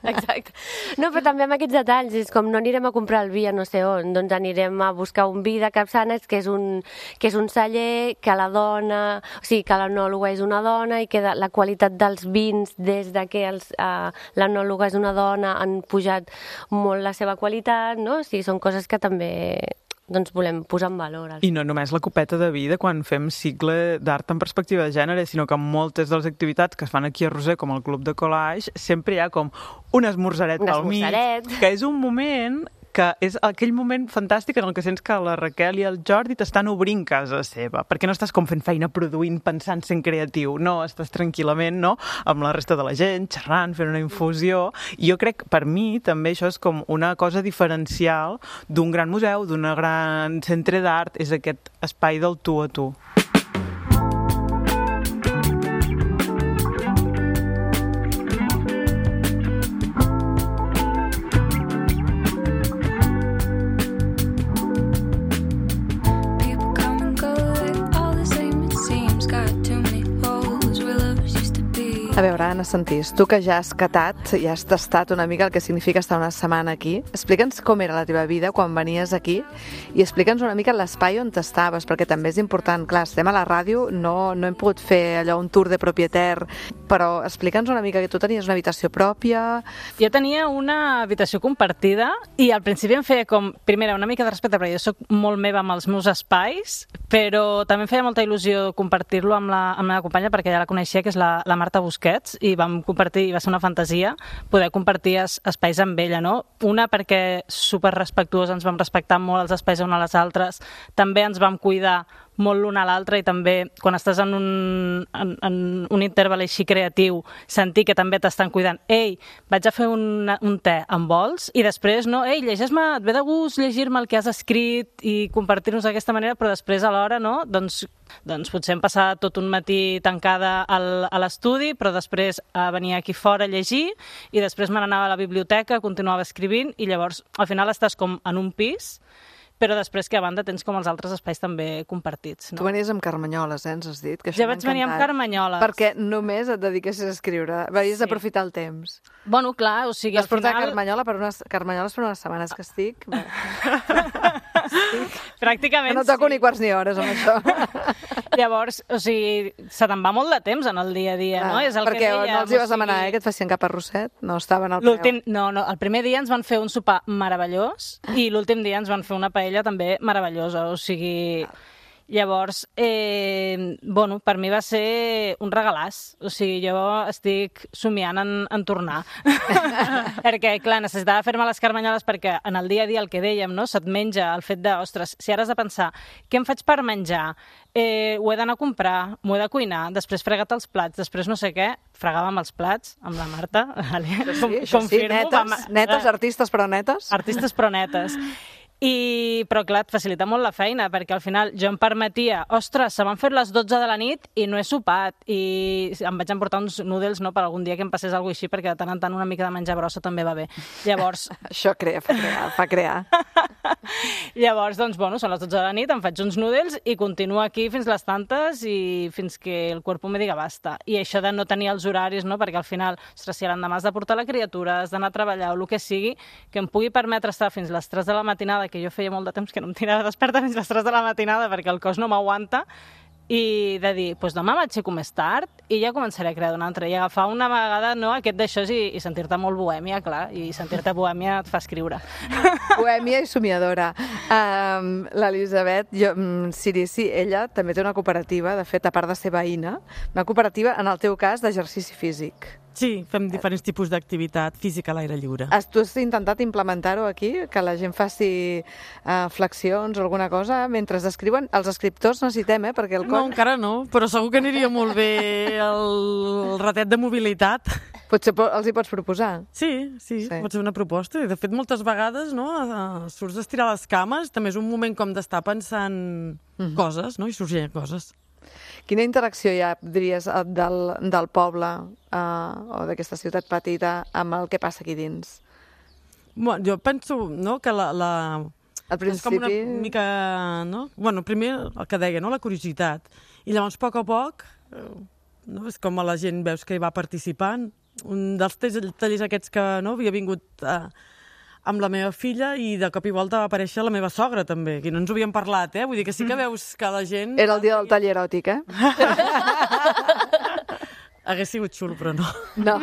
Exacte. No, però també amb aquests detalls, és com no anirem a comprar el vi a no sé on, doncs anirem a buscar un vi de capçanes que és un celler, que la dona, o sigui, que l'enòloga és una dona i que la qualitat dels vins des de que l'enòloga és una dona han pujat molt la seva qualitat, no? O sigui, són coses que també volem posar en valor.
I no només la copeta de vi de quan fem cicle d'art en perspectiva de gènere, sinó que en moltes de les activitats que es fan aquí a Roser, com el Club de Collage, sempre hi ha com un esmorzaret pel mig, que és un moment que és aquell moment fantàstic en el que sents que la Raquel i el Jordi t'estan obrint casa seva, perquè no estàs com fent feina produint, pensant, sent creatiu, no, estàs tranquil·lament, no?, amb la resta de la gent, xerrant, fent una infusió, i jo crec, per mi, també això és com una cosa diferencial d'un gran museu, d'un gran centre d'art, és aquest espai del tu a tu.
A veure, Anna Sentís, tu que ja has catat i has tastat una mica el que significa estar una setmana aquí, explica'ns com era la teva vida quan venies aquí i explica'ns una mica l'espai on t'estaves, perquè també és important. Clar, estem a la ràdio, no hem pogut fer allò un tour de propietàr, però explica'ns una mica que tu tenies una habitació pròpia.
Jo tenia una habitació compartida i al principi em feia com, primera, una mica de respecte, perquè jo soc molt meva amb els meus espais, però també em feia molta il·lusió compartir-lo amb la meva companya, perquè ja la coneixia, que és la Marta Busquets, i vam compartir, i va ser una fantasia poder compartir espais amb ella, no? Una, perquè superrespectuós, ens vam respectar molt els espais un a les altres, també ens vam cuidar molt l'un a l'altre i també quan estàs en un interval així creatiu, sentir que també t'estan cuidant. Ei, vaig a fer un te, em vols? I després, no, ei, llegeix-me, et ve de gust llegir-me el que has escrit i compartir-nos d'aquesta manera, però després alhora, no, doncs potser hem passat tot un matí tancada a l'estudi, però després venia aquí fora a llegir i després me n'anava a la biblioteca, continuava escrivint i llavors al final estàs com en un pis però després que a banda tens com els altres espais també compartits.
Tu
No?
venies amb carmanyoles, ens has dit? Que això
Jo
m'ha
vaig venir amb
encantat.
carmanyoles.
Perquè només et dediquessis a escriure. Veies
Sí.
d'aprofitar el temps.
Bueno, clar, o sigui,
Vas
al
portar
final...
carmanyoles per unes setmanes que estic. Bé,
Pràcticament
que no toco
sí.
ni quarts ni hores amb això.
Llavors, o sigui, se te'n va molt de temps en el dia a dia, no? És el
Perquè
que dèiem,
no els hi vas
o sigui,
demanar que et fessin cap arrosset? No estaven al preu.
No, el primer dia ens van fer un sopar meravellós i l'últim dia ens van fer una paella també meravellosa, o sigui... Llavors, bueno, per mi va ser un regalàs. O sigui, jo estic somiant en tornar. Perquè, clar, necessitava fer-me les carmanyoles perquè en el dia a dia el que dèiem, no? Se't menja el fet de, ostres, si ara has de pensar què em faig per menjar, ho he d'anar a comprar, m'ho he de cuinar, després frega't els plats, després no sé què, fregàvem els plats amb la Marta.
Això sí, netes, artistes però netes.
Artistes però netes. Però clar, et facilita molt la feina, perquè al final jo em permetia, ostres, se m'han fet les 12 de la nit i no he sopat, i em vaig emportar uns noodles, no?, per algun dia que em passés alguna així, perquè de tant en tant una mica de menjar brossa també va bé. Llavors...
Això fa crear.
Llavors, doncs, bueno, són les 12 de la nit, em faig uns noodles i continuo aquí fins les tantes i fins que el cuerpo me diga basta. I això de no tenir els horaris, no?, perquè al final, ostres, si l'endemà has de portar la criatura, has d'anar a treballar o el que sigui, que em pugui permetre estar fins les 3 de la matinada, que jo feia molt de temps que no em tirava desperta fins les 3 de la matinada perquè el cos no m'aguanta, i de dir, doncs demà m'aixeco més tard i ja començaré a crear una altra, i agafar una vegada, no, aquest d'això i sentir-te molt bohèmia, clar, i sentir-te bohèmia et fa escriure.
Bohèmia i somiadora. L'Elisabet Cirici, ella també té una cooperativa, de fet, a part de ser veïna, una cooperativa, en el teu cas, d'exercici físic.
Sí, fem diferents tipus d'activitat física a l'aire lliure.
Tu has intentat implementar-ho aquí? Que la gent faci flexions o alguna cosa mentre escriuen? Els escriptors necessitem, perquè el
No, encara no, però segur que aniria molt bé el ratet de mobilitat.
Potser els hi pots proposar.
Sí, pot ser una proposta. I de fet, moltes vegades, no, surts d'estirar les cames, també és un moment com d'estar pensant coses, no?, i sorgint coses.
Quina interacció hi ha, diries, del poble o d'aquesta ciutat petita amb el que passa aquí dins?
Bueno, jo penso, no, que
Al principi...
és com una mica, no? Bueno, primer el que deia, no?, la curiositat. I llavors, a poc, no, és com la gent veus que hi va participant. Un dels tallers aquests que no havia vingut amb la meva filla i de cop i volta va aparèixer la meva sogra també, que no ens ho havíem parlat, Vull dir que sí que veus que la gent...
Era el dia del taller eròtic,
Hagués sigut xulo, però no.
No,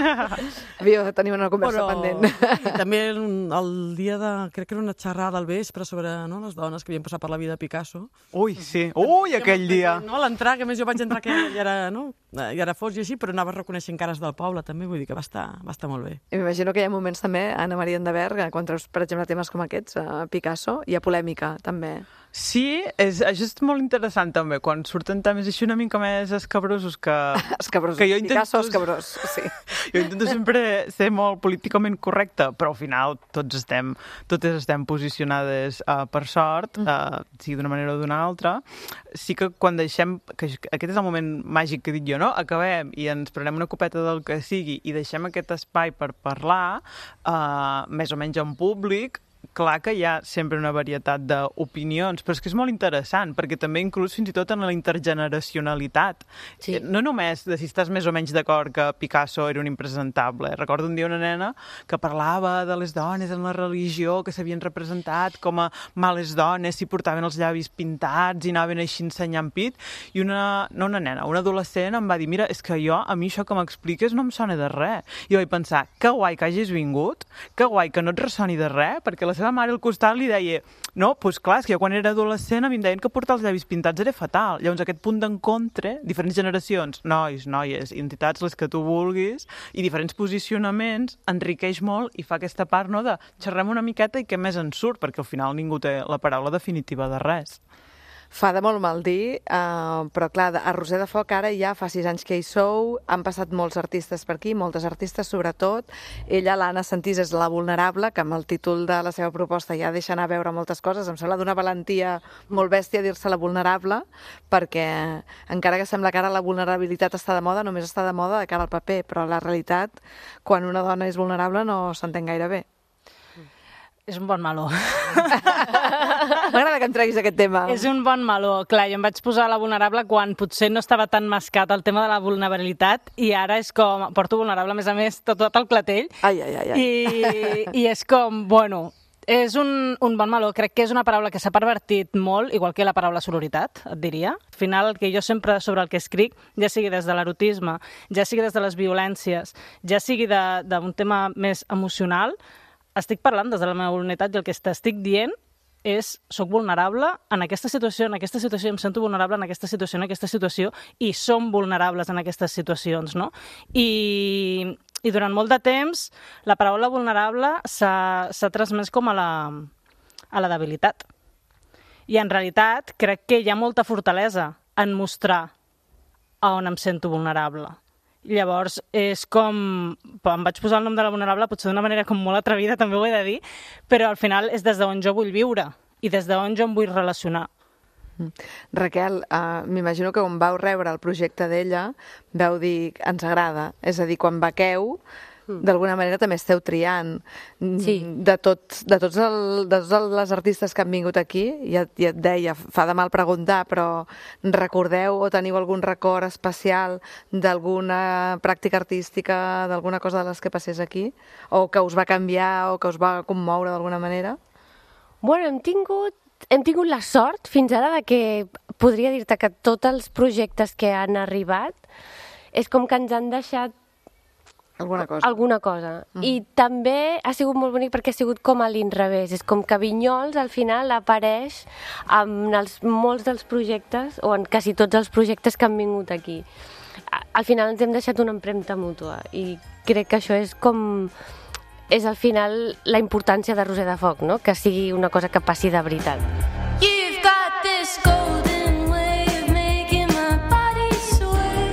tenim una conversa pendent.
I també el dia de... Crec que era una xerrada al vespre sobre les dones que havien passat per la vida de Picasso.
Ui, sí. Ui, aquell dia.
No, a l'entrar, que a més jo vaig entrar que ja era fos i així, però anava reconeixent cares del poble també, vull dir que va estar molt bé.
I m'imagino que hi ha moments també, Anna Maria Endeberg, quan treus, per exemple, temes com aquests, a Picasso, hi ha polèmica, també.
Sí, això és molt interessant també, quan surten temes així una mica més escabrosos que...
Escabrosos,
que jo intento...
Picasso escabrós, sí.
Jo intento sempre ser molt políticament correcte, però al final totes estem posicionades per sort, sigui d'una manera o d'una altra. Sí que quan deixem... que aquest és el moment màgic que dic jo, no? Acabem i ens prenem una copeta del que sigui i deixem aquest espai per parlar, més o menys en públic. Clar que hi ha sempre una varietat d'opinions, però és que és molt interessant, perquè també inclús fins i tot en la intergeneracionalitat.
Sí.
No només de si estàs més o menys d'acord que Picasso era un impresentable. Recordo un dia una nena que parlava de les dones en la religió, que s'havien representat com a males dones, si portaven els llavis pintats i anaven així ensenyant pit, i una adolescent em va dir, mira, és que a mi això que m'expliques no em sona de res. I jo vaig pensar, que guai que hagis vingut, que guai que no et ressoni de res, perquè la seva mare al costat li deia, no, doncs clar, és que jo quan era adolescent a mi em deien que portar els llavis pintats era fatal. Llavors aquest punt d'encontre, diferents generacions, nois, noies, identitats, les que tu vulguis, i diferents posicionaments, enriqueix molt i fa aquesta part, no, de xerrem una miqueta i què més en surt, perquè al final ningú té la paraula definitiva de res.
Fa de molt mal dir, però clar, a Roser de Foc ara ja fa 6 anys que hi sou, han passat molts artistes per aquí, moltes artistes sobretot. Ella, l'Anna Sentís, és la vulnerable, que amb el títol de la seva proposta ja deixa anar a veure moltes coses. Em sembla d'una valentia molt bèstia dir-se la vulnerable, perquè encara que sembla que ara la vulnerabilitat està de moda, només està de moda de cara al paper, però la realitat, quan una dona és vulnerable, no s'entén gaire bé.
És un bon meló.
M'agrada que em treguis aquest tema.
És un bon meló. Clar, jo em vaig posar a la vulnerable quan potser no estava tan mascat el tema de la vulnerabilitat i ara és com... Porto vulnerable, a més, tot el clatell.
Ai.
I és com, bueno... És un bon meló. Crec que és una paraula que s'ha pervertit molt, igual que la paraula sororitat, et diria. Al final, el que jo sempre sobre el que escric, ja sigui des de l'erotisme, ja sigui des de les violències, ja sigui d'un tema més emocional, estic parlant des de la meva vulnerabilitat i el que t'estic dient és soc vulnerable en aquesta situació, em sento vulnerable en aquesta situació i som vulnerables en aquestes situacions, no? I durant molt de temps la paraula vulnerable s'ha transmès com a la debilitat. I en realitat crec que hi ha molta fortalesa en mostrar a on em sento vulnerable. Llavors és com... Em vaig posar el nom de la vulnerable potser d'una manera com molt atrevida, també ho he de dir, però al final és des d'on jo vull viure i des d'on jo em vull relacionar.
Raquel, m'imagino que quan vau rebre el projecte d'ella vau dir ens agrada, és a dir, quan bequeu d'alguna manera també esteu triant.
Sí.
De tots les artistes que han vingut aquí, ja et deia, fa de mal preguntar, però recordeu o teniu algun record especial d'alguna pràctica artística, d'alguna cosa de les que passés aquí? O que us va canviar o que us va commoure d'alguna manera?
Bueno, hem tingut la sort fins ara de que podria dir-te que tots els projectes que han arribat és com que ens han deixat alguna cosa. I també ha sigut molt bonic perquè ha sigut com a l'inrevés. És com que Vinyols al final apareix en molts dels projectes o en quasi tots els projectes que han vingut aquí. Al final ens hem deixat una empremta mútua i crec que això és com... És al final la importància de Roser de Foc, no? Que sigui una cosa que passi de veritat.
You've got this golden way of making my body sway,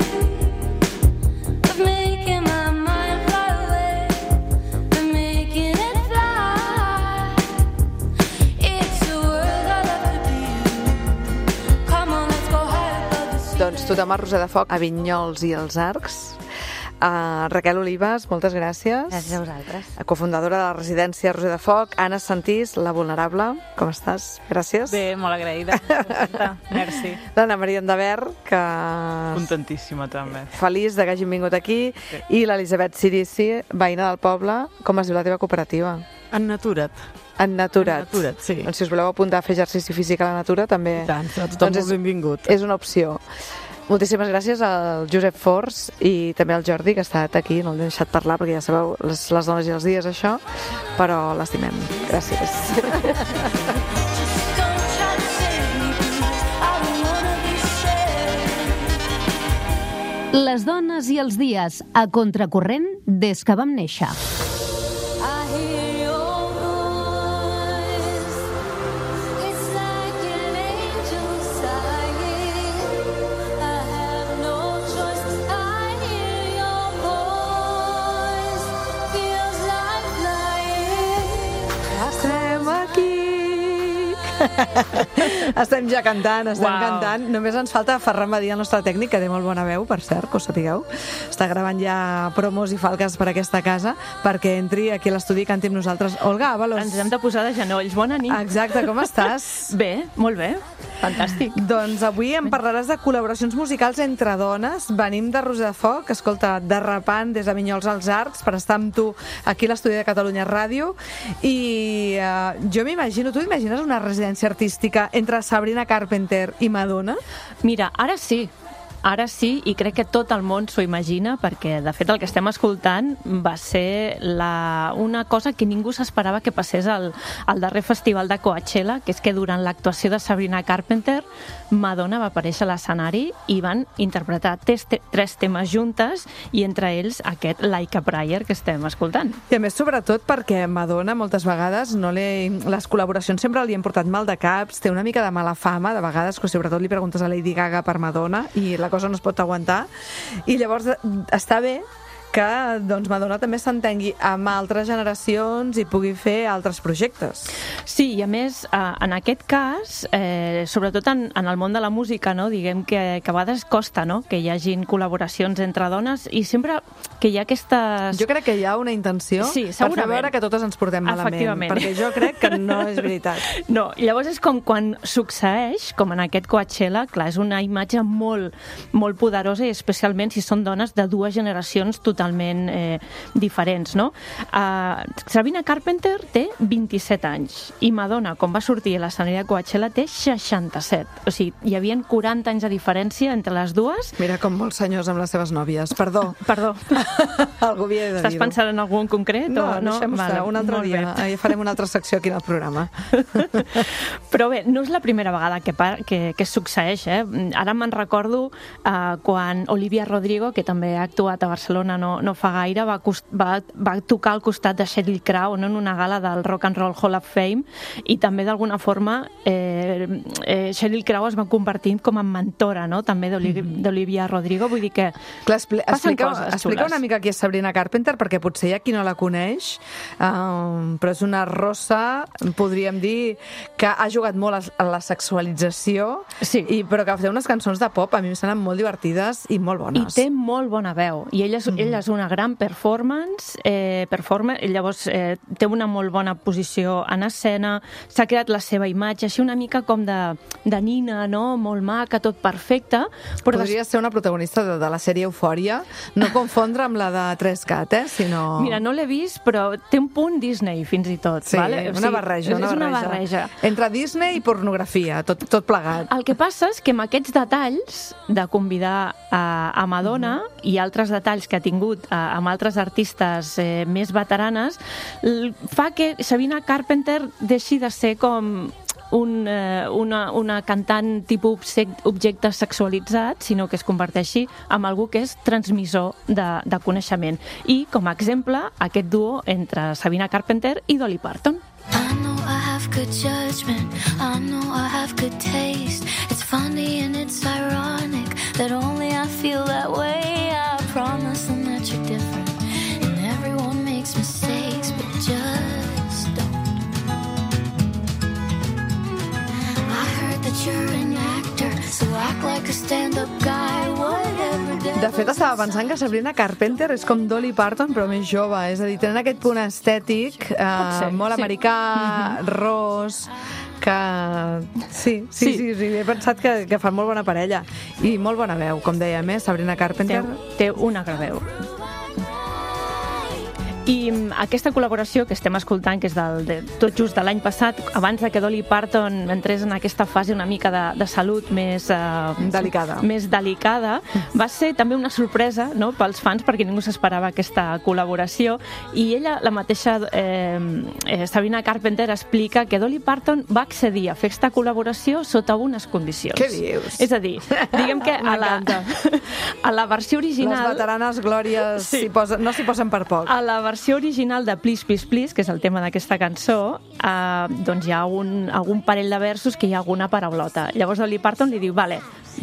of making my mind fly away, of making it fly. It's a world I love to be in. Come on, let's go high above the sea.
Doncs tothom a Roser de Foc, a Vinyols i els Arcs. Raquel Olives, moltes gràcies.
Gràcies a vosaltres.
Cofundadora de la residència Roser de Foc. Anna Santís, la vulnerable. Com estàs? Gràcies.
Bé, molt agraïda. Merci.
L'Anna Maria Endaver, que...
Contentíssima, també.
Feliç de que hagin vingut aquí. Sí. I l'Elisabet Sirici, veïna del poble. Com es diu la teva cooperativa?
Ennaturat.
Ennaturat.
Ennaturat, sí.
Doncs si us voleu apuntar a fer exercici físic a la natura, també...
I tant, tothom molt benvingut.
És una opció. Moltíssimes gràcies al Josep Forns i també al Jordi, que ha estat aquí, no l'he deixat parlar perquè ja sabeu, les dones i els dies, això, però l'estimem. Gràcies.
Les dones i els dies, a contracorrent des que vam néixer.
Estem ja cantant, cantant. Només ens falta Ferran Badí, el nostre tècnic, que té molt bona veu, per cert, que ho sapigueu. Està gravant ja promos i falques per aquesta casa, perquè entri aquí a l'estudi i canti amb nosaltres. Olga Ábalos.
Ens hem de posar de genolls. Bona nit.
Exacte, com estàs?
Bé, molt bé. Fantàstic.
Doncs avui em parlaràs de col·laboracions musicals entre dones. Venim de Roser de Foc, escolta, derrapant des de Vinyols als Arcs per estar amb tu aquí a l'estudi de Catalunya Ràdio. I jo m'imagino, tu t'imagines una residència artística entre Sabrina Carpenter i Madonna?
Mira, ara sí, i crec que tot el món s'ho imagina, perquè de fet el que estem escoltant va ser una cosa que ningú s'esperava que passés al darrer festival de Coachella, que és que durant l'actuació de Sabrina Carpenter Madonna va aparèixer a l'escenari i van interpretar tres temes juntes, i entre ells aquest Like a Prayer que estem escoltant.
I a més, sobretot perquè Madonna moltes vegades les col·laboracions sempre li han portat mal de caps, té una mica de mala fama de vegades, que sobretot li preguntes a Lady Gaga per Madonna i la cosa no es pot aguantar, i llavors està bé que doncs, Madonna també s'entengui amb altres generacions i pugui fer altres projectes.
Sí, i a més, en aquest cas, sobretot en el món de la música, no? Diguem que a vegades costa, no? Que hi hagin col·laboracions entre dones i sempre que hi ha aquestes...
Jo crec que hi ha una intenció per fer veure que totes ens portem malament, perquè jo crec que no és veritat.
No, llavors és com quan succeeix, com en aquest Coachella, clar, és una imatge molt, molt poderosa i especialment si són dones de dues generacions totalment diferents, no? Sabrina Carpenter té 27 anys i Madonna, quan va sortir a l'escenari de Coachella, té 67. O sigui, hi havia 40 anys de diferència entre les dues.
Mira com molts senyors amb les seves nòvies. Perdó. Algú havia de dir-ho.
Estàs pensant en algun concret?
No, deixem-ho estar. Un altre dia. Farem una altra secció aquí en el programa.
Però bé, no és la primera vegada que succeeix. Ara me'n recordo quan Olivia Rodrigo, que també ha actuat a Barcelona no fa gaire, va tocar al costat de Sheryl Crow en una gala del Rock and Roll Hall of Fame i també d'alguna forma Sheryl Crow es va convertint com en mentora, no? També d'Olivia Rodrigo, vull dir que passen coses xules.
Explica una mica qui és Sabrina Carpenter, perquè potser hi ha qui no la coneix, però és una rossa, podríem dir, que ha jugat molt a la sexualització, però que fa unes cançons de pop, a mi em semblen molt divertides i molt bones.
I té molt bona veu, i ella és una gran performance, i llavors té una molt bona posició en escena, s'ha creat la seva imatge, així una mica com de nina, no? Molt maca, tot perfecte.
Podria ser una protagonista de la sèrie Eufòria, no confondre amb la de 3CAT, sinó...
Mira, no l'he vist, però té un punt Disney, fins i tot.
Sí,
vale?
una barreja.
És una barreja.
Entre Disney i pornografia, tot plegat.
El que passa és que amb aquests detalls de convidar a Madonna i altres detalls que ha tingut amb altres artistes més veteranes, fa que Sabrina Carpenter deixi de ser com una cantant tipus objecte sexualitzat, sinó que es converteixi en algú que és transmissor de coneixement. I, com a exemple, aquest duo entre Sabrina Carpenter i Dolly Parton.
I know I have good judgment, I know I have good taste. It's funny and it's ironic that only I feel that way. I promise them that you're different and everyone makes mistakes, but just don't. I heard that you're an actor, so act like a stand-up guy, whatever.
De fet, estava pensant que Sabrina Carpenter és com Dolly Parton, però més jove. És a dir, tenen aquest punt estètic molt americà, ros, que... Sí, he pensat que fan molt bona parella. I molt bona veu, com dèiem, Sabrina Carpenter.
Té una gran veu. I aquesta col·laboració que estem escoltant, que és tot just de l'any passat, abans de que Dolly Parton entrés en aquesta fase una mica de salut més delicada, va ser també una sorpresa, no?, pels fans, perquè ningú s'esperava aquesta col·laboració, i ella, la mateixa Sabrina Carpenter, explica que Dolly Parton va accedir a fer aquesta col·laboració sota unes condicions.
Què dius?
És a dir, diguem que a la versió original...
Les veteranes glòries no s'hi posen per poc.
A la versió original de Please, Please, Please, que és el tema d'aquesta cançó, doncs hi ha algun parell de versos que hi ha alguna paraulota. Llavors Dolly Parton li diu, vale,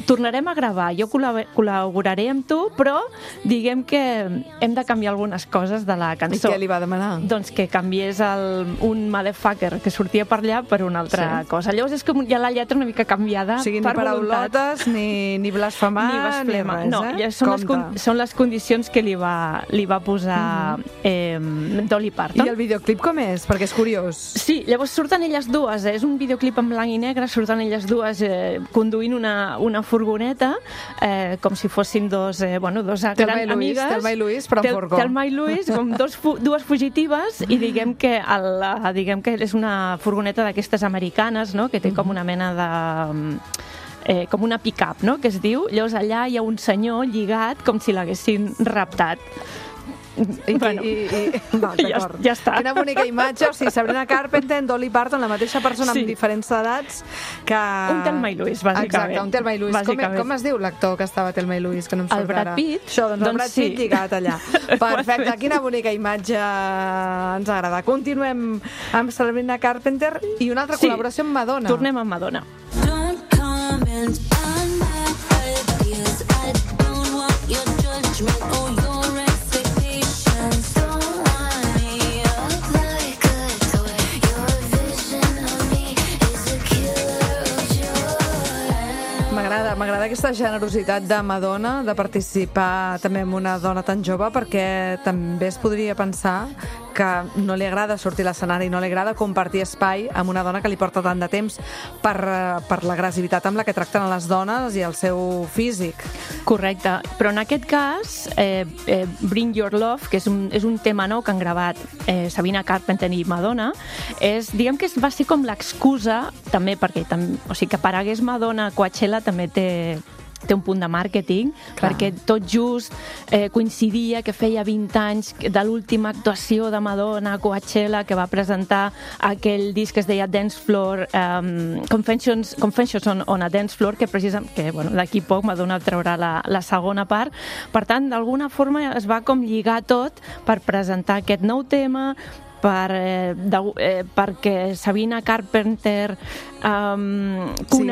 tornarem a gravar, jo col·laboraré amb tu, però diguem que hem de canviar algunes coses de la cançó.
I què li va demanar?
Doncs que canviés un motherfucker que sortia per allà per una altra cosa. Llavors és com hi ha la lletra una mica canviada per voluntat.
Ni paraulotes, ni blasfemar,
ni blasfema.
Res,
No, són les condicions que li va posar Dolly Parton.
I el videoclip com és? Perquè és curiós.
Sí, llavors surten elles dues, és un videoclip en blanc i negre, surten elles dues conduint una furgoneta, com si fossin dos grans amigues.
Telma i Luis, però en furgó.
Telma i Luis, com dues fugitives, i diguem que és una furgoneta d'aquestes americanes, no?, que té com una mena de... com una pick-up, no?, que es diu. Llavors allà hi ha un senyor lligat com si l'haguessin raptat. Ja està.
Quina bonica imatge, o sigui, Sabrina Carpenter, Dolly Parton, la mateixa persona amb diferents edats que...
Un Telma i Luis, bàsicament.
Exacte, un Telma i Luis. Com es diu l'actor que estava a Telma i Luis, que no em surt ara?
El Brad Pitt.
Això, doncs el Brad Pitt lligat allà. Perfecte, quina bonica imatge ens agrada. Continuem amb Sabrina Carpenter i una altra col·laboració amb Madonna.
Tornem amb Madonna.
Don't comment on my ideas. I don't want your judgment or your expectations.
aquesta generositat de Madonna de participar també amb una dona tan jove, perquè també es podria pensar que no li agrada sortir a l'escenari, no li agrada compartir espai amb una dona que li porta tant de temps per l'agressivitat amb la que tracten a les dones i el seu físic.
Correcte, però en aquest cas Bring Your Love, que és un tema nou que han gravat Sabrina Carpenter i Madonna, diguem que va ser com l'excusa també perquè o sigui, que aparegués Madonna a Coachella també té un punt de màrqueting, perquè tot just coincidia que feia 20 anys de l'última actuació de Madonna a Coachella, que va presentar aquell disc que es deia Dance Floor, Confessions on a Dance Floor, que d'aquí poc Madonna traurà la segona part. Per tant, d'alguna forma es va com lligar tot per presentar aquest nou tema, perquè Sabrina Carpenter sigui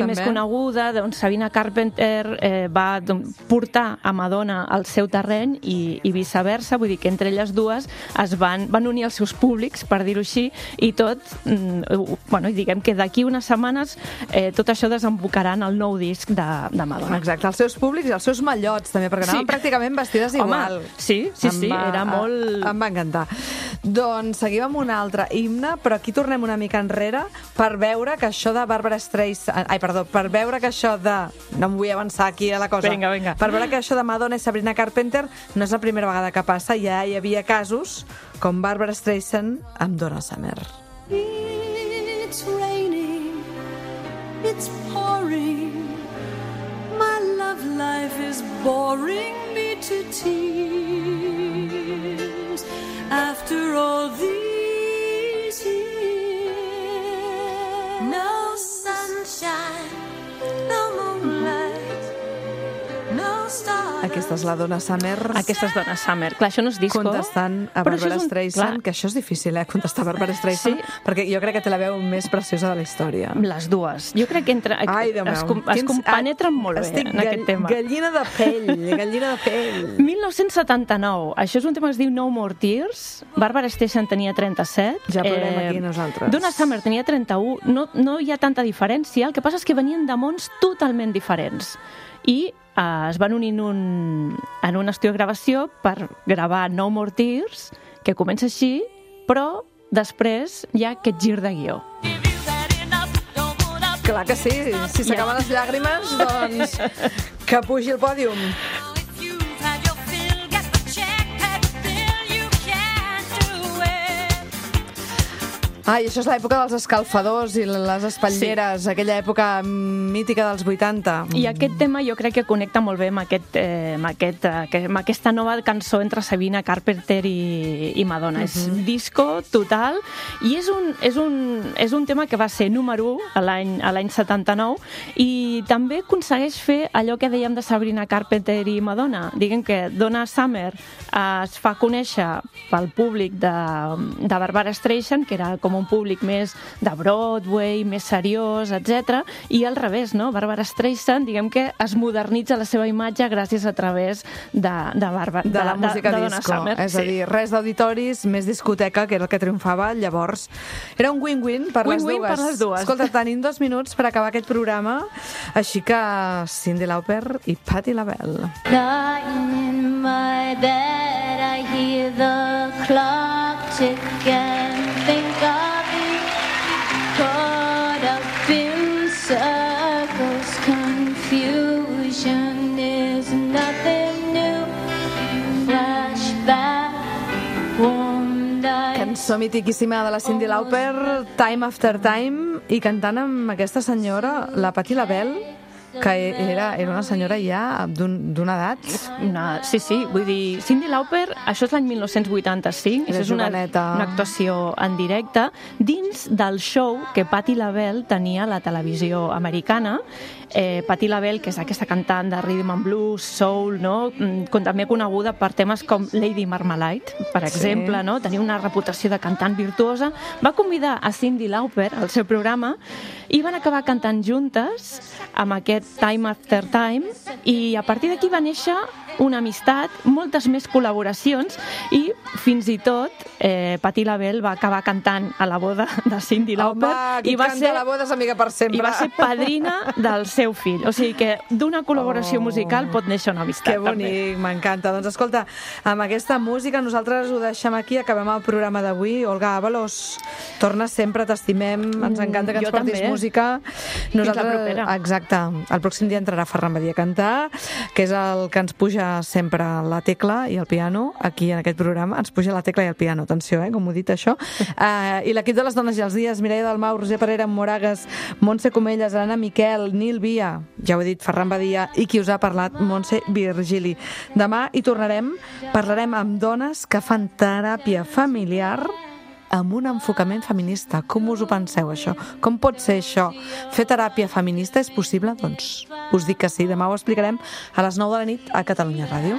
més coneguda, doncs Sabrina Carpenter va portar a Madonna al seu terreny i viceversa, vull dir que entre elles dues es van unir els seus públics, per dir-ho així, i tot, diguem que d'aquí unes setmanes tot això desembocarà en el nou disc de Madonna.
Exacte, els seus públics i els seus mallots també, perquè anaven pràcticament vestides igual.
Home, sí, era molt...
Em va encantar. Doncs seguim amb un altre himne, però aquí tornem una mica enrere per veure que això de Barbra Streisand... per veure que això de... No em vull avançar aquí a la cosa.
Vinga.
Per veure que això de Madonna i Sabrina Carpenter no és la primera vegada que passa, ja hi havia casos com Barbra Streisand amb Donna Summer.
It's raining, it's pouring, my love life is boring me to tears. After all these years, no sunshine, no moonlight, no stars.
Aquesta és la Donna Summer.
Aquesta és Donna Summer. Clar, això no és disco.
Contestant a Barbra Streisand, que això és difícil, contestar a Barbra Streisand, perquè jo crec que té la veu més preciosa de la història.
Les dues. Jo crec que es compenetren molt bé en aquest tema.
Gallina de pell.
1979. Això és un tema que es diu No More Tears. Barbra Streisand tenia 37.
Ja plorem aquí nosaltres.
Donna Summer tenia 31. No hi ha tanta diferència. El que passa és que venien de mons totalment diferents. I es van unir en un estudi de gravació per gravar No More Tears, que comença així, però després hi ha aquest gir de guió.
Clar que sí, si s'acaben les llàgrimes, doncs que pugi el pòdium. Ai, això és l'època dels escalfadors i les espatlleres, aquella època mítica dels 80.
I aquest tema jo crec que connecta molt bé amb aquesta nova cançó entre Sabrina Carpenter i Madonna. És disco total i és un tema que va ser número 1 a l'any 79 i també aconsegueix fer allò que dèiem de Sabrina Carpenter i Madonna. Diguem que Donna Summer es fa conèixer pel públic de Barbra Streisand, que era com un públic més de Broadway, més seriós, etc. I al revés, no? Barbra Streisand, diguem que es modernitza la seva imatge gràcies a través de
la música
Donna
disco.
Summer.
És a dir, res d'auditoris, més discoteca, que era el que triomfava llavors. Era un win-win per les dues. Escolta, tenim 2 minuts per acabar aquest programa, així que Cyndi Lauper i Patti LaBelle.
Lying in my bed, I hear the clock tick and think of you. Caught up in circles, confusion is nothing new. Flashback, warmed eyes.
Cançó mitiquíssima de la Cyndi Lauper, Time After Time, i cantant amb aquesta senyora, la Patti LaBelle, que era una senyora ja d'una edat.
Sí, vull dir, Cyndi Lauper, això és l'any 1985, és una actuació en directe dins del show que Patti LaBelle tenia a la televisió americana. Patti LaBelle, que és aquesta cantant de rhythm and blues, soul, no? També coneguda per temes com Lady Marmalade, per exemple, no? Tenia una reputació de cantant virtuosa. Va convidar a Cyndi Lauper al seu programa i van acabar cantant juntes amb aquest Time After Time, i a partir d'aquí va néixer una amistat, moltes més col·laboracions i fins i tot Patti LaBelle va acabar cantant a la boda de Cyndi Lauper.
Home, qui canta a la boda és amiga per sempre.
I va ser padrina del seu fill. O sigui que d'una col·laboració musical pot néixer una amistat.
Que bonic, m'encanta. Doncs escolta, amb aquesta música nosaltres ho deixem aquí, acabem el programa d'avui. Olga Ábalos, torna sempre, t'estimem, ens encanta que ens portis música.
Fins la propera.
Exacte. El pròxim dia entrarà Ferran Badia a cantar, que és el que ens puja sempre la tecla i el piano, aquí en aquest programa. Ens puja la tecla i el piano, atenció, com ho he dit això. I l'equip de les dones i els dies, Mireia Dalmau, Roser Parera, Moragues, Montse Comelles, Anna Miquel, Nil Via, ja ho he dit, Ferran Badia, i qui us ha parlat, Montse Virgili. Demà hi tornarem, parlarem amb dones que fan teràpia familiar amb un enfocament feminista. Com us ho penseu, això? Com pot ser això? Fer teràpia feminista és possible? Doncs us dic que sí. Demà ho explicarem a les 9 de la nit a Catalunya Ràdio.